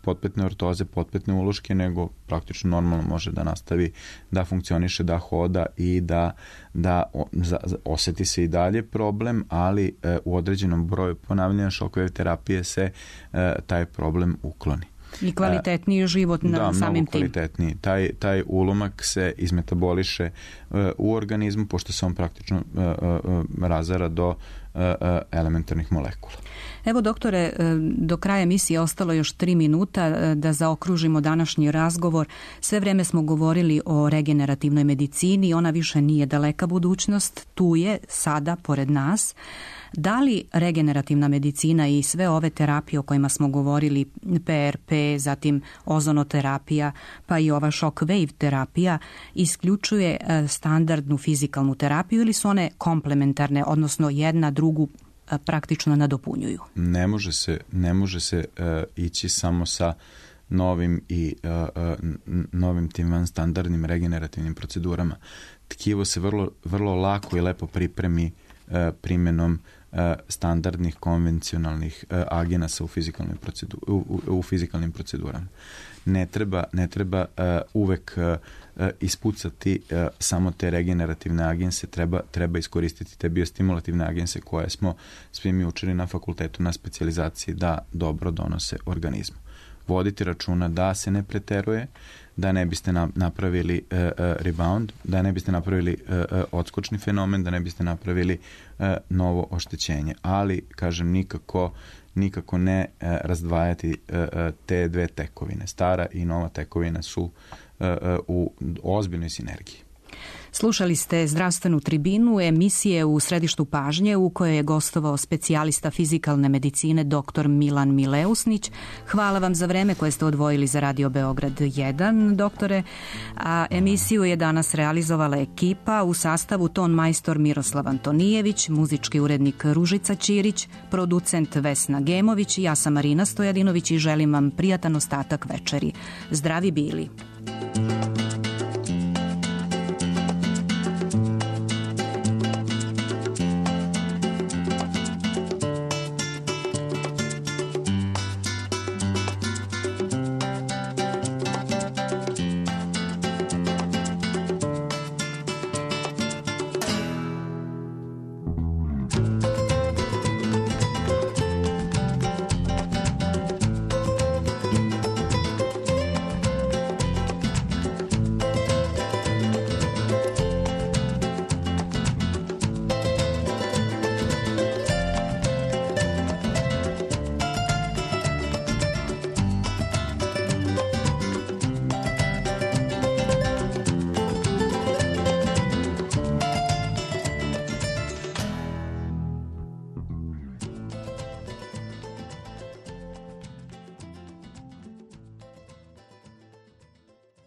potpetne ortoze, potpetne uloške, nego praktično normalno može da nastavi da funkcioniše, da hoda i da, da za, osjeti se i dalje problem, ali uh, u određenom broju ponavljanja Shockwave terapije se uh, taj problem ukloni. I kvalitetniji život na da, samim tim. Da, kvalitetniji. Taj, taj ulomak se izmetaboliše uh, u organizmu, pošto se on praktično uh, uh, razara do uh, uh, elementarnih molekula. Evo, doktore, do kraja emisije ostalo još tri minuta da zaokružimo današnji razgovor. Sve vreme smo govorili o regenerativnoj medicini, ona više nije daleka budućnost, tu je, sada, pored nas. Da li regenerativna medicina i sve ove terapije o kojima smo govorili, P R P, zatim ozonoterapija, pa i ova Shockwave terapija, isključuje standardnu fizikalnu terapiju ili su one komplementarne, odnosno jedna drugu praktično nadopunjuju? Ne može se, ne može se uh, ići samo sa novim i uh, uh, novim tim van standardnim regenerativnim procedurama. Tkivo se vrlo, vrlo lako i lepo pripremi uh, primjenom uh, standardnih konvencionalnih uh, agenasa u, procedu, u, u, u fizikalnim procedurama. Ne treba, ne treba uh, uvek uh, ispucati uh, samo te regenerativne agense, treba, treba iskoristiti te biostimulativne agense koje smo svi mi učili na fakultetu na specijalizaciji da dobro donose organizmu. Voditi računa da se ne preteruje, da ne biste napravili uh, uh, rebound, da ne biste napravili uh, uh, odskočni fenomen, da ne biste napravili uh, novo oštećenje. Ali, kažem, nikako nikako ne uh, razdvajati uh, uh, te dve tekovine. Stara i nova tekovina su uh, uh, u ozbiljnoj sinergiji. Slušali ste Zdravstvenu tribinu, emisije u središtu pažnje u kojoj je gostovao specijalista fizikalne medicine dr. Milan Mileusnić. Hvala vam za vreme koje ste odvojili za Radio Beograd jedan, doktore. A emisiju je danas realizovala ekipa u sastavu ton majstor Miroslav Antonijević, muzički urednik Ružica Ćirić, producent Vesna Gemović i ja sam Marina Stojadinović i želim vam prijatan ostatak večeri. Zdravi bili!